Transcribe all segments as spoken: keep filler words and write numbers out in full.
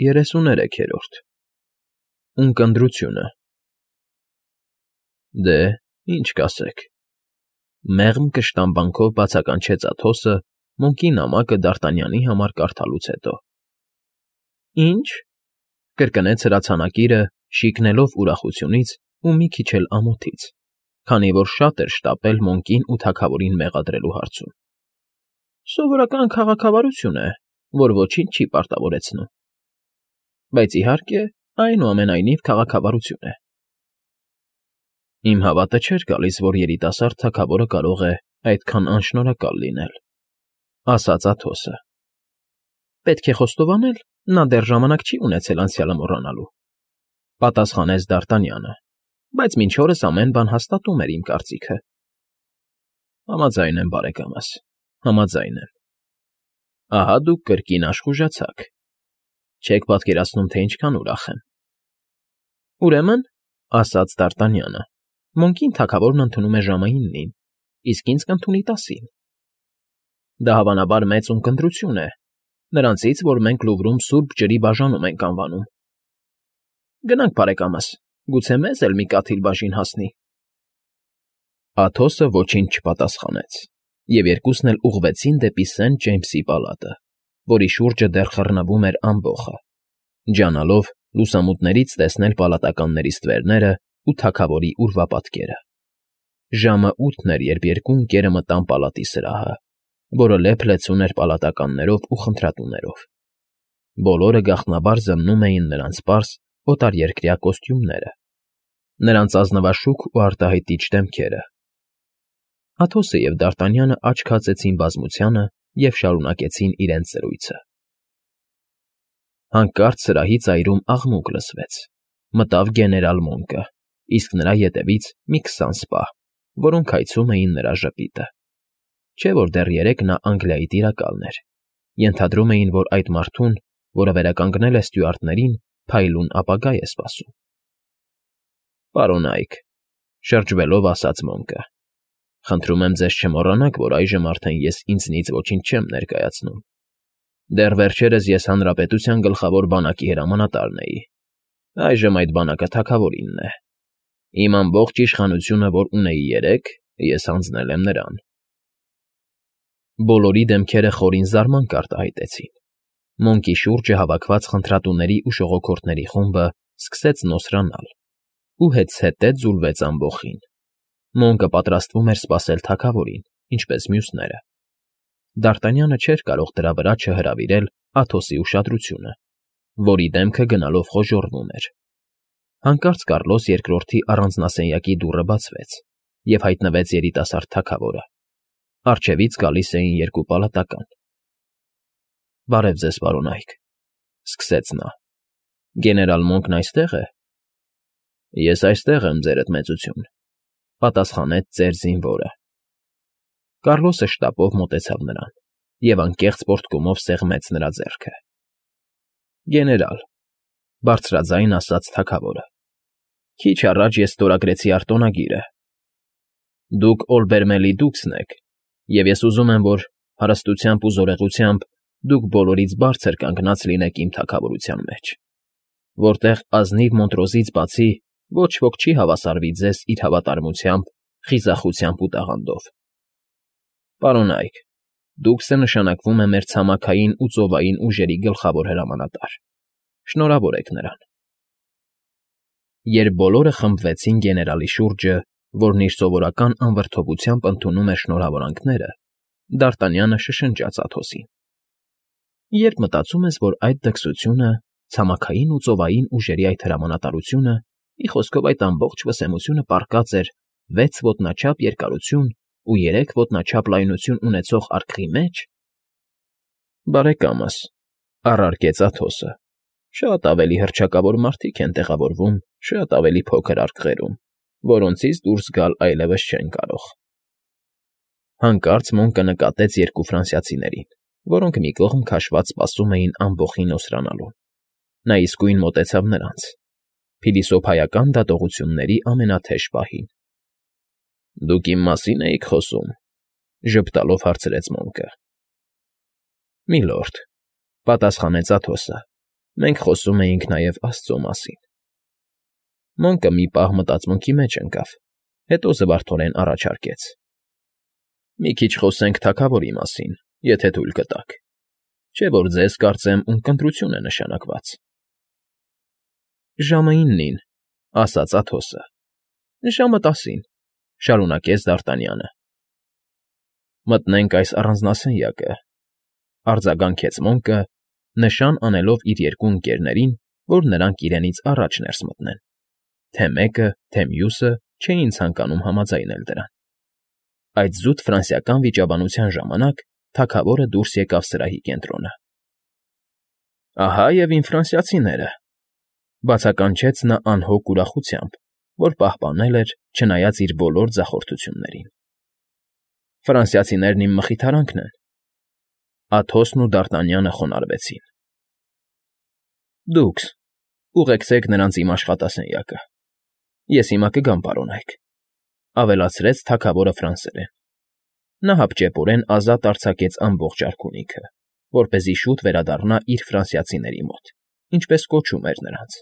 Երեսուներեքերորդ Ունկնդրությունը Դե, ինչ կասեք,֊ մեղմ կշտամբանքով բացականչեց Աթոսը Մոնկի նամակը Դարտանյանի համար կարդալուց հետո։ ֊ Ի՞նչ,֊ կրկնեց հրացանակիրը, շիկնելով ուրախությունից ու մի քիչ էլ ամոթից, քանի որ շատ էր շտապել Մոնկին ու թագավորին մեղադրելու հարցում։ ֊ Սովորական քաղաքավարություն է, որ ոչինչ չի պարտավորեցնում։ Բայց, իհարկե, այնուամենայնիվ քաղաքավարություն է։ Իմ հավատը չէր գալիս, որ երիտասարդ թագավորը կարող է այդքան անշնորհակալ լինել,֊ ասաց Աթոսը։ ֊ Պետք է խոստովանել, նա դեռ ժամանակ չի ունեցել անցյալը մոռանալու,֊ պատասխանեց Դարտանյանը, բայց մինչ օրս ամեն բան հաստատում էր իմ կարծիքը։ ֊ Համաձայն եմ, բարեկամս, համաձայն եմ։ Ահա դուք կրկին աշխուժացաք։ Չեք պատկերացնում, թե ինչքան ուրախ եմ։ ֊ Ուրեմն,֊ ասաց Դարտանյանը,֊ Մոնկին թագավորն ընդունում է ժամայիններին, իսկ ինձ կընդունի տասին։ Դա հավանաբար մեծ ունկնդրություն է, նրանցից, որ մենք Լուվրում սուրբ ջրի բաժանում ենք անվանում։ Գնանք, բարեկամս, գուցե մեզ էլ մի կաթիլ բաժին հասնի։ Աթոսը ոչինչ չպատասխանեց, և երկուսն էլ ուղղվեցին դեպի Սենթ Ջեյմսի պալատը, որի շուրջը դեռ խռնվում էր ամբոխը, ջանալով լուսամուտներից տեսնել պալատականների ստվերները ու թագավորի ուրվապատկերը։ Ժամը ութն էր, երբ երկու ընկերը մտան պալատի սրահը, որը լեփ֊լեցուն էր պալատականներով ու խնդրատուներով։ Բոլորը գաղտնաբար զննում էին նրանց պարզ, օտարերկրյա կոստյումները, նրանց ազնվաշուք ու արտահայտիչ դեմքերը։ Աթոսը և Դարտանյանը աչք հացեցին բազմությանը և շարունակեցին իրենց զրույցը։ Հանկարծ սրահի ծայրում աղմուկ լսվեց։ Մտավ գեներալ Մոնկը, իսկ նրա ետևից մի քսան սպա, որոնք հայցում էին նրա ժպիտը։ Չէ՞ որ դեռ երեկ նա Անգլիայի տիրակալն էր, ենթադրում էին, որ այդ մարդուն, որը վերականգնել է ստյուարտներին, փայլուն ապագա է սպասում։ ֊ Պարոնայք,֊ շրջվելով ասաց Մոնկը,֊ խնդրում եմ ձեզ չմոռանաք, որ այժմ արդեն ես ինձնից ոչինչ չեմ ներկայացնում։ Դեռ վերջերս ես հանրապետության գլխավոր բանակի հրամանատարն էի, այժմ այդ բանակը թագավորինն է։ Իմ ամբողջ իշխանությունը, որ ունեի երեկ, ես հանձնել եմ նրան։ Բոլորի դեմքերը խորին զարմանք արտահայտեցին։ Մոնկի շուրջը հավաքված խնդրատուների ու ժողոքորդների խումբը սկսեց նոսրանալ ու հետզհետե ձուլվեց ամբոխին։ Մոնկը պատրաստվում էր սպասել թագավորին, ինչպես մյուսները։ Դարտանյանը չէր կարող դրա վրա չհրավիրել Աթոսի ուշադրությունը, որի դեմքը գնալով խոժոռվում էր։ Հանկարծ Կառլոս Երկրորդի առանձնասենյակի դուռը բացվեց, և հայտնվեց երիտասարդ թագավորը։ Առջևից գալիս էին երկու պալատական։ ֊ Բարև ձեզ, պարոնայք,֊ սկսեց նա,֊ գեներալ Մոնկն այստե՞ղ է։ ֊ Ես այստեղ եմ, ձերդ մեծություն,֊ պատասխանեց ծեր զինվորը։ Կառլոսը շտապով մոտեցավ նրան և անկեղծ պոռթկումով սեղմեց նրա ձեռքը։ ֊ Գեներալ,֊ բարձրաձայն ասաց թագավորը,֊ քիչ առաջ ես ստորագրեցի արտոնագիրը։ Դուք Օլբերմելի դուքսն եք, և ես ուզում եմ, որ հարստությամբ ու զորեղությամբ դուք բոլորից բարձր կանգնած լինեք իմ թագավորության մեջ, որտեղ ազնիվ Մոնտրոզից բացի ոչ ոք չի հավասարվի ձեզ իր հավատարմությամբ, խիզախությամբ ու տաղանդով։ Պարոնայք, դուքսը նշանակվում է մեր ցամաքային ու ծովային ուժերի գլխավոր հրամանատար։ Շնորհավոր եք նրան։ Երբ բոլորը խմբվեցին գեներալի շուրջը, որն իր սովորական անվրդովությամբ ընդունում էր շնորհավորանքները, Դարտանյանը շշնջաց Աթոսին. ֊ Երբ մտածում ես, որ այդ դքսությունը, ցամաքային ու ծովային ուժերի այդ հրամանատարությունը, մի խոսքով այդ ամբողջ վսեմությունը պառկած էր վեց ոտնաչափ երկարություն ու երեք ոտնաչափ լայնություն ունեցող արկղի մեջ,֊ Բարեկամս,֊ առարկեց Աթոսը,֊ շատ ավելի հռչակավոր մարդիկ են տեղավորվում շատ ավելի փոքր արկղերում, որոնցից դուրս գալ այլևս չեն կարող։ Հանկարծ Մոնկը նկատեց երկու ֆրանսիացիներին, որոնք մի կողմ քաշված սպասում էին ամբոխի նոսրանալուն։ Նա իսկույն մոտեցավ նրանց, փիլիսոփայական դատողությունների ամենաթեժ պահին։ ֊ Դուք իմ մասի՞ն էիք խոսում,֊ ժպտալով հարցրեց Մոնկը։ ֊ Միլորդ,֊ պատասխանեց Աթոսը, Մենք խոսում էինք նաև աստծո մասին։ Մոնկը մի պահ մտածմունքի մեջ ընկավ, հետո զվարթորեն առաջարկեց. Մի քիչ խոսենք թագավորի մասին, եթե թույլ կտաք, չէ՞ որ ձեզ, կարծեմ, ունկնդրություն է նշանակված։ Ժամը իննին, ասաց Աթոսը։ Ժամը տասին, շարունակեց Դ'Արտանյանը։ Մտնենք այս առանձնասենյակը, արձագանքեց Մոնկը, նշան անելով իր երկու ընկերներին, որ նրանք իրենից առաջ ներս մտնեն, թե մեկը, թե մյուսը չէին ցանկանում համաձայնել դրան։ Այդ զուտ ֆրանսիական վիճաբանության ժամանակ թագավորը դուրս եկավ սրահի կենտրոնը։ Ահա և իմ ֆրանսիացիները, բացականչեց նա անհոգ ուրախությամբ, որ պահպանել էր, չնայած իր բոլոր ձախորդություններին։ Ֆրանսիացիներն իմ մխիթարանքն են։ Աթոսն ու Դ'Արտանյանը խոնարհվեցին։ Դուքս ուղեկցեք նրանց իմ աշխատասենյակը։ Ես հիմա կգամ, պարոնայք, ավելացրեց թագավորը ֆրանսերեն։ Նա հապճեպորեն ազատ արձակեց ամբողջ արքունիքը, որպեսզի շուտ վերադառնա իր ֆրանսիացիների մոտ, ինչպես կոչում էր նրանց։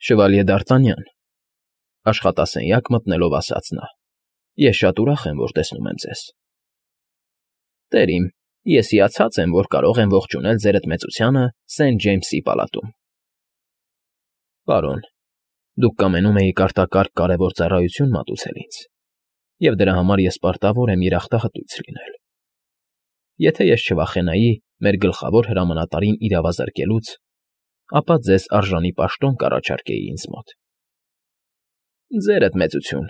Շվալյե Դ'Արտանյան, աշխատասենյակ մտնելով ասաց նա, ես շատ ուրախ եմ, որ տեսնում եմ ձեզ։ Տեր իմ, ես հիացած եմ, որ կարող եմ ողջունել ձերդ մեծությանը Սենթ Ջեյմսի պալատում։ Պարոն, դուք կամենում էիք արտակարգ կարևոր ծառայություն մատուցել ինձ, և դրա համար ես պարտավոր եմ երախտահտույց լինել։ Եթե ես չվախենայի մեր գլխավոր հրամանատարին իրավազրկելուց, ապա ձեզ արժանի պաշտոն կառաջարկեի ինձ մոտ։ Ձերդ մեծություն,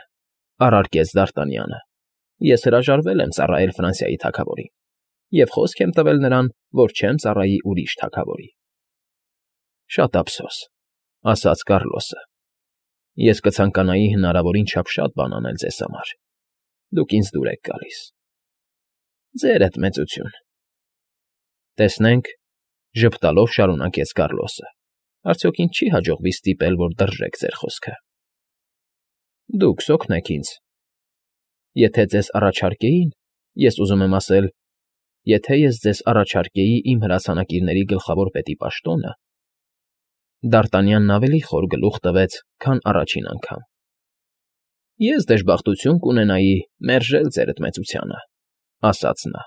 առարկեց Դ'Արտանյանը, ես հրաժարվել եմ ծառայել Ֆրանսիայի թագավորին և խոսք եմ տվել նրան, որ չեմ ծառայի ուրիշ թագավորի։ Շատ ափսոս, ասաց Կառլոսը։ Ես կցանկանայի հնարավորին չափ շատ բան անել ձեզ համար։ Դուք ինձ դուր եք գալիս։ Ձերդ մեծություն։ Տեսնենք, ժպտալով շարունակեց Կառլոսը, արդյոք ինձ չի հաջողվի ստիպել, որ դրժեք ձեր խոսքը։ Դուքս օգնեք ինձ։ Եթե ձեզ առաջարկեին, ես ուզում եմ ասել, եթե ես ձեզ առաջարկեի իմ հրացանակիրների գլխավոր պետի պաշտոնը, Դ'Արտանյանն ավելի խոր գլուխ տվեց, քան առաջին անգամ։ Ես դժբախտություն կունենայի մերժել ձերդ մեծությանը, ասաց նա։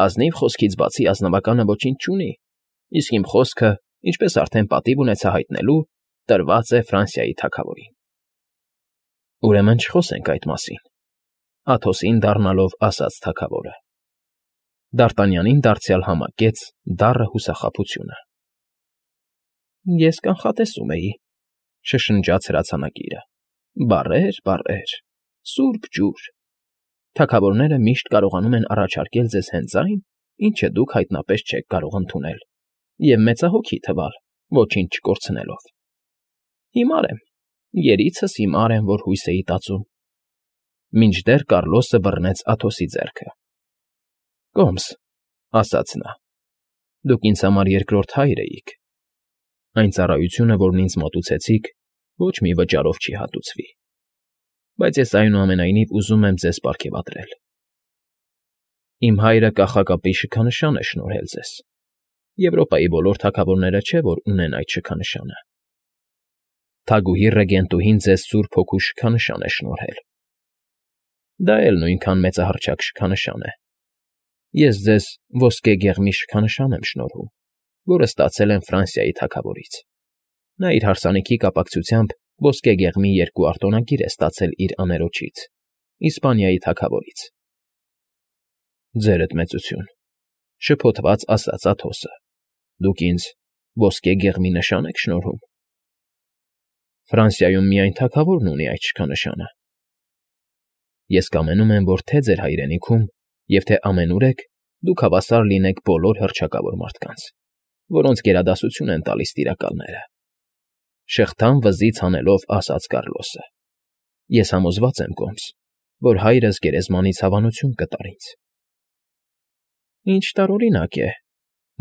Ազնիվ խոսքից բացի ազնվականը ոչինչ չունի, իսկ իմ խոսքը, ինչպես արդեն պատիվ ունեցա հայտնելու, տրված է Ֆրանսիայի թագավորին։ Ուրեմն չխոսենք այդ մասին, Աթոսին դառնալով ասաց թագավորը։ Դ'Արտանյանին դարձյալ համակեց դառը հուսախաբությունը։ Ես կանխատեսում էի, շշնջաց հրացանակիրը։ Բառեր, բառեր, սուրբ ջուր։ Թագավորները միշտ կարողանում են առաջարկել ձեզ հենց այն, ինչը դուք հայտնապես չեք կարող ընդունել, և մեծահոգի թվալ, ոչինչ չկորցնելով։ Հիմար եմ, երիցս հիմար եմ, որ հույս էի տածում։ Մինչդեռ Կառլոսը բռնեց Աթոսի ձեռքը։ Կոմս, ասաց նա, դուք ինձ համար երկրորդ հայր էիք։ Այն ծառայությունը, որն ինձ մատուցեցիք, ոչ մի վճարով չի հատուցվի, բայց ես այնուամենայնիվ ուզում եմ ձեզ պարգևատրել։ Իմ հայրը կախակապի շքանշան է շնորհել ձեզ։ Եվրոպայի բոլոր թագավորները չէ, որ ունեն այդ շքանշանը։ Թագուհի Ռեգենտուհին ձեզ Սուրբ Հոգու շքանշան է շնորհել։ Դա էլ նույնքան մեծահռչակ շքանշան է։ Ես ձեզ ոսկե գեղմի շքանշան եմ շնորհում, որը ստացել եմ Ֆրանսիայի թագավորից։ Նա իր հարսանիքի կապակցությամբ ոսկե գեղմի երկու արտոնագիր է ստացել իր աներոջից, Իսպանիայի թագավորից։ Ձերդ մեծություն, շփոթված ասաց Աթոսը, դուք ինձ ոսկե գեղմի նշան եք շնորհում։ Ֆրանսիայում միայն թագավորն ունի այդ շքանշանը։ Ես կամենում եմ, որ թե ձեր հայրենիքում և թե ամենուր եք, դուք հավասար լինեք բոլոր հռչակավոր մարդկանց, որոնց գերադասություն են տալիս տիրակալները։ Շղթան վզից հանելով ասաց Կառլոսը. Ես համոզված եմ, Կոմս, որ հայրս գերեզմանից հավանություն կտար ինձ։ Ինչ տարօրինակ է,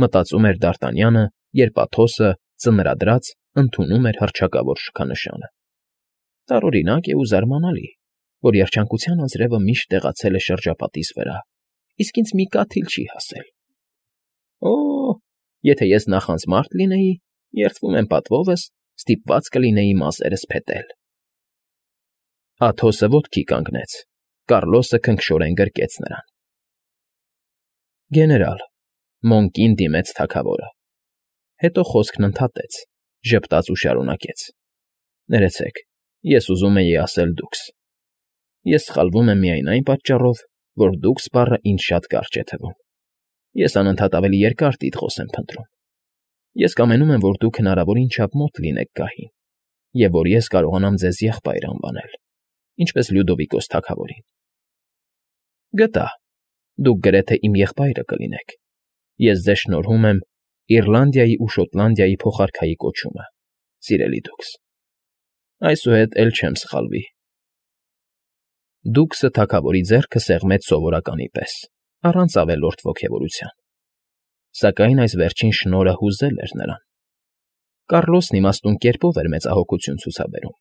մտածում էր Դ'Արտանյանը, երբ Աթոսը, ծնրադրած, ընդունում էր հռչակավոր շքանշանը։ Տարօրինակ է ու զարմանալի, որ երջանկության անձրևը միշտ տեղացել է շրջապատիս վրա, իսկ ինձ մի կաթիլ չի հասել։ Օ, Եթե ես նախանց մարդ լինեի, երդվում եմ պատվովս, ստիպված կլինեի մազերս փետել։ Աթոսը ոտքի կանգնեց, Կառլոսը քնքշորեն գրկեց նրան։ Գեներալ, Մոնկին դիմեց թագավորը, հետո խոսքն ընդհատեց, ժպտաց ու շարունակեց. Ներեցեք, ես ուզում էի ասել դուքս։ Ես սխալվում եմ միայն այն պատճառով, որ դուքս բառը ինձ շատ կարճ է թվում։ Ես անընդհատ ավելի երկար տիտղոս եմ փնտրում։ Ես կամենում եմ, որ դուք հնարավորին չափ մոտ լինեք գահին, և որ ես կարողանամ ձեզ եղբայր անվանել, ինչպես Լյուդովիկոս թագավորին։ Գտա, դուք գրեթե իմ եղբայրը կլինեք։ Ես ձեզ շնորհում եմ Իռլանդիայի ու Շոտլանդիայի փոխարքայի կոչումը, սիրելի դուքս։ Այսուհետ էլ չեմ սխալվի։ Դուքսը թագավորի ձեռքը սեղմեց սովորականի պես, առանց ավելորդ ոգևորության։ Սակայն այս վերջին շնորհը հուզել էր նրան։ Կառլոսն իմաստուն կերպով էր մեծահոգություն ցուցաբերում,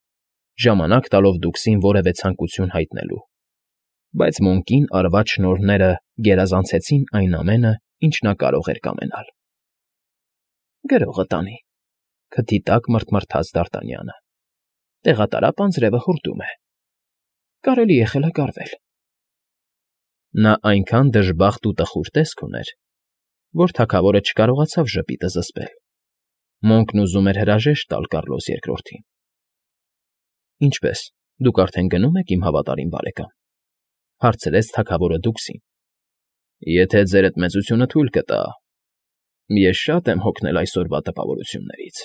ժամանակ տալով դուքսին որևէ ցանկություն հայտնելու, բայց Մոնկին արված շնորհները գերազանցեցին այն ամենը, ինչ նա կարող էր կամենալ։ Գրողը տանի, քթի տակ մռթմռթաց Դ'Արտանյանը։ Տեղատարապ անձրևը հորդում է։ Կարելի է խելագարվել։ Նա այնքան դժբախտ ու տխուր տեսք ուներ, որ թագավորը չկարողացավ ժպիտը զսպել։ Մոնկն ուզում էր հրաժեշտ տալ Կառլոս երկրորդին։ Ինչպե՞ս, դուք արդեն գնում եք, իմ հավատարիմ բարեկամ,֊ հարցրեց թագավորը դուքսին։ Եթե ձերդ մեծությունը թույլ կտա, ես շատ եմ հոգնել այսօրվա տպավորություններից,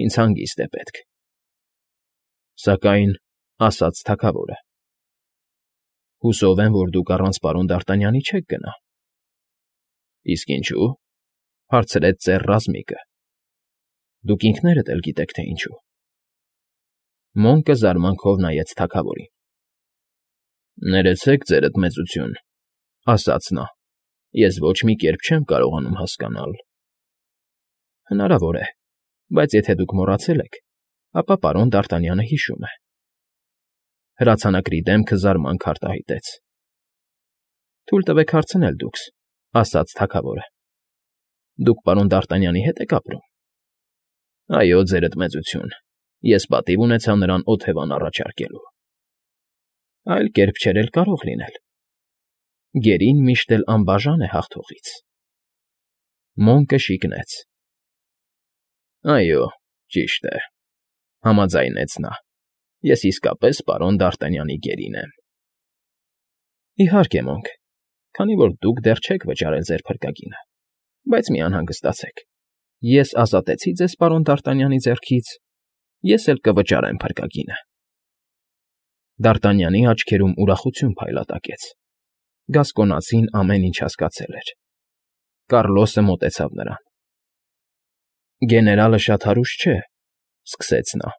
ինձ հանգիստ է պետք։ Սակայն, ասաց թագավորը, հուսով եմ, որ դուք առանց պարոն Դ'Արտանյանի չեք գնա։ Իսկ ինչու՞, հարցրեց ծեր Ռազմիկը։ Դուք ինքներդ էլ գիտեք, թե ինչու։ Մոնկը զարմանքով նայեց թագավորին։ Ներեցեք, ձերդ մեծություն, ասաց նա, ես ոչ մի կերպ չեմ կարողանում հասկանալ։ Հնարավոր է, բայց եթե դուք մոռացել եք, ապա պարոն Դ'Արտանյանը հիշում է։ Հրացանակրի դեմքը զարմանք արտահայտեց։ Թույլ տվեք հարցնել դուքս, ասաց թագավորը։ Դուք պարոն Դ'Արտանյանի հետ եք ապրում։ Այո, ձերդ մեծություն, ես պատիվ ունեցա նրան օթևան առաջարկելու։ Այլ կերպ չէր էլ կարող լինել։ Գերին միշտ էլ անբաժան է հաղթողից։ Մոնկը շիկնեց։ Այո, ճիշտ է, համաձայնեց նա, ես իսկապես պարոն Դ'Արտանյանի գերին եմ։ Իհարկե, Մոնկ, քանի որ դուք դեռ չեք վճարել ձեր փրկագինը, բայց մի անհանգստացեք, ես ազատեցի ձեզ պարոն Դ'Արտանյանի ձեռքից, ես էլ կվճարեմ փրկագինը։ Դ'Արտանյանի աչքերում ուրախություն փայլատակեց։ Գասկոնացին ամեն ինչ հասկացել էր։ Կառլոսը մոտեցավ նրան։ Գեներալը շատ հարուստ չէ, սկսեց նա,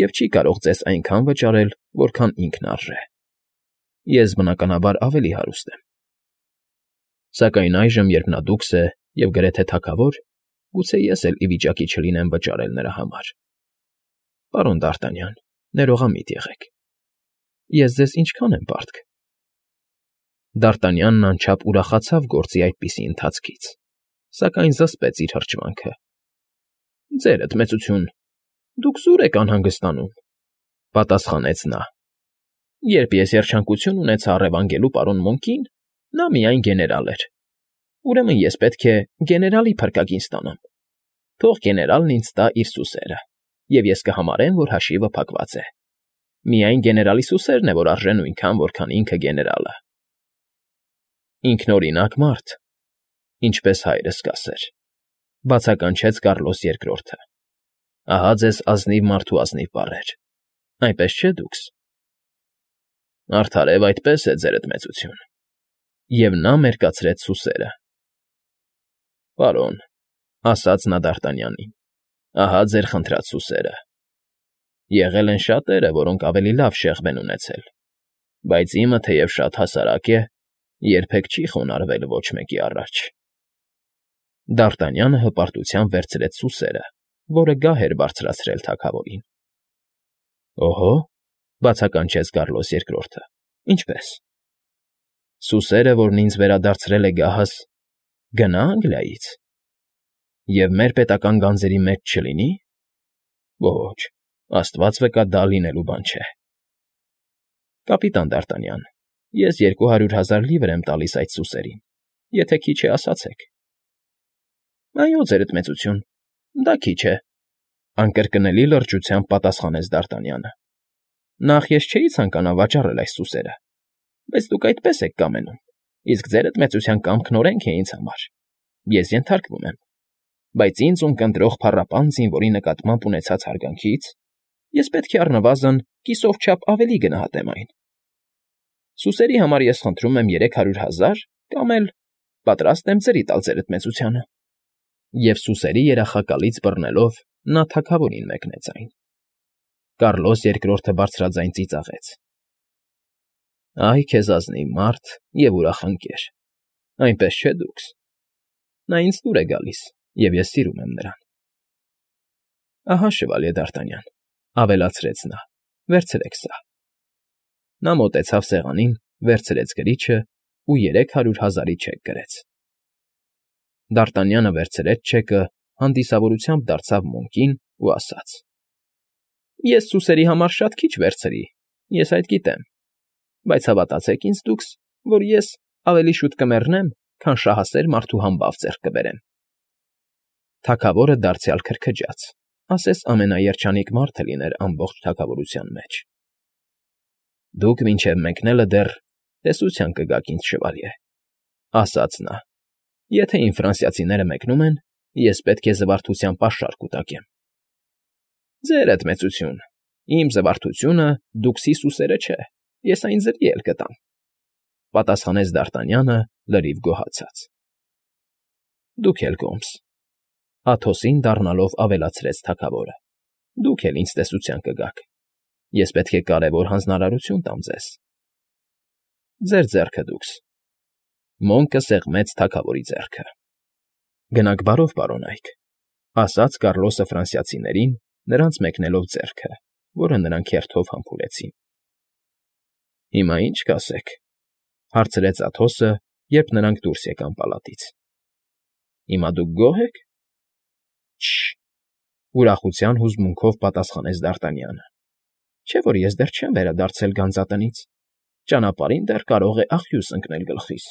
և չի կարող ձեզ այնքան վճարել, որքան ինքն արժե։ Ես, բնականաբար, ավելի հարուստ եմ։ Սակայն այժմ, երբ նա դուքս է և գրեթե թագավոր, գուցե ես էլ ի վիճակի չլինեմ վճարել նրա համար։ Պարոն Դ'Արտանյան, ներողամիտ եղեք։ Ես ձեզ ինչքան եմ պարտք։ Դ'Արտանյանն անչափ ուրախացավ գործի այդպիսի ընթացքից, սակայն զսպեց իր հրճվանքը։ Ձերդ մեծություն, դուք զուր եք անհանգստանում,֊ պատասխանեց նա։ Երբ ես երջանկություն ունեցա առևանգելու պարոն Մոնկին, նա միայն գեներալ էր։ Ուրեմն ես պետք է գեներալի փրկագին ստանամ։ Թող գեներալն ինձ տա իր սուսերը, և ես կհամարեմ, որ հաշիվը փակված է։ Միայն գեներալի սուսերն է, որ արժե նույնքան, որքան ինքը գեներալը։ Ինքնօրինակ մարդ, ինչպես հայրս կասեր,֊ բացականչեց Կառլոս երկրորդը։ Ահա ձեզ ազնիվ մարդու ազնիվ բառեր, այնպես չէ՞ դուքս։ Արդարև այդպես է, ձերդ մեծություն։ Եվ նա մերկացրեց սուսերը։ Պարոն, ասաց նա Դ'Արտանյանին, ահա ձեր խնդրած սուսերը։ Եղել են շատերը, որոնք ավելի լավ շեղբ են ունեցել, բայց իմը, թեև շատ հասարակ է, երբեք չի խոնարհվել ոչ մեկի առաջ։ Դ'Արտանյանը հպարտությամբ վերցրեց սուսերը, որը գահ էր բարձրացրել թագավորին։ Օհո, բացականչեց Կառլոս երկրորդը, ինչպե՞ս։ Սուսերը, որն ինձ վերադարձրել է գահս, գնա Անգլիայից։ Եվ մեր պետական գանձերի մեջ չլինի։ Ոչ, աստված վկա, դա լինելու բան չէ։ Կապիտան Դ'Արտանյան, ես երկու հարյուր հազար լիվր եմ տալիս այդ սուսերին, եթե քիչ է, ասացեք։ Այո, ձերդ մեծություն, դա քիչ է, անկրկնելի լրջությամբ պատասխանեց Դ'Արտանյանը։ Նախ ես չէի ցանկանա վաճառել այս սուսերը, բայց դուք այդպես եք կամենում, իսկ ձերդ մեծության կամքն օրենք է ինձ համար։ Ես ենթարկվում եմ, բայց ինձ ում կընտրող փառապան զինվորի նկատմամբ ունեցած հարգանքից ես պետք է առնվազն կիսով չափ ավելի գնահատեմ այն։ Սուսերի համար ես խնդրում եմ երեք հարյուր հազար կամ էլ պատրաստ եմ ձրի տալ ձերդ մեծությանը։ Եվ սուսերի երախակալից բռնելով նա թագավորին մեկնեց այն։ Կառլոս երկրորդը բարձրաձայն ծիծաղեց. Այ քեզ ազնիվ մարդ և ուրախ ընկեր, այնպես չէ՞ դուքս։ Նա ինձ դուր է գալիս, և ես սիրում եմ նրան։ Ահա, շվալյե Դ'Արտանյան, ավելացրեց նա, վերցրեք սա։ Նա մոտեցավ սեղանին, վերցրեց գրիչն ու երեք հարյուր հազարի չեք գրեց։ Դ'Արտանյանը վերցրեց չեկը, հանդիսավորությամբ դարձավ Մոնկին ու ասաց. Ես սուսերի համար շատ քիչ վերցրի, ես այդ գիտեմ, բայց հավատացեք ինձ դուքս, որ ես ավելի շուտ կմեռնեմ, քան շահասեր մարդու համբավ ձեռք կբերեմ։ Թագավորը դարձյալ քրքջաց, ասես ամենաերջանիկ մարդը լիներ ամբողջ թագավորության մեջ։ Դուք մինչև մեկնելը դեռ տեսության կգաք ինձ, շվալյե, ասաց նա։ Եթե իմ ֆրանսիացիները մեկնում են, ես պետք է զվարթության պաշար կուտակեմ։ Ձերդ մեծություն, իմ զվարթությունը դուքսի սուսերը չէ, ես այն ձրի էլ կտամ, պատասխանեց Դ'Արտանյանը լրիվ գոհացած։ Դուք էլ կոմս, Աթոսին դառնալով ավելացրեց թագավորը։ Դուք էլ ինձ տեսության կգաք, ես պետք է կարևոր հանձնարարություն տամ ձեզ։ Ձեր ձեռքը դուքս։ Մոնկը սեղմեց թագավորի ձեռքը։ Գնաք բարով, պարոնայք, ասաց Կառլոսը ֆրանսիացիներին, նրանց մեկնելով ձեռքը, որը նրանք հերթով համբուրեցին։ Հիմա ի՞նչ կասեք, հարցրեց Աթոսը, երբ նրանք դուրս եկան պալատից։ Հիմա դուք գոհ եք։ Շ… ուրախության հուզմունքով պատասխանեց Դ'Արտանյանը։ Չէ՞ որ ես դեռ չեմ վերադարձել գանձատնից, ճանապարհին դեռ կարող է աղյուս ընկնել գլխիս։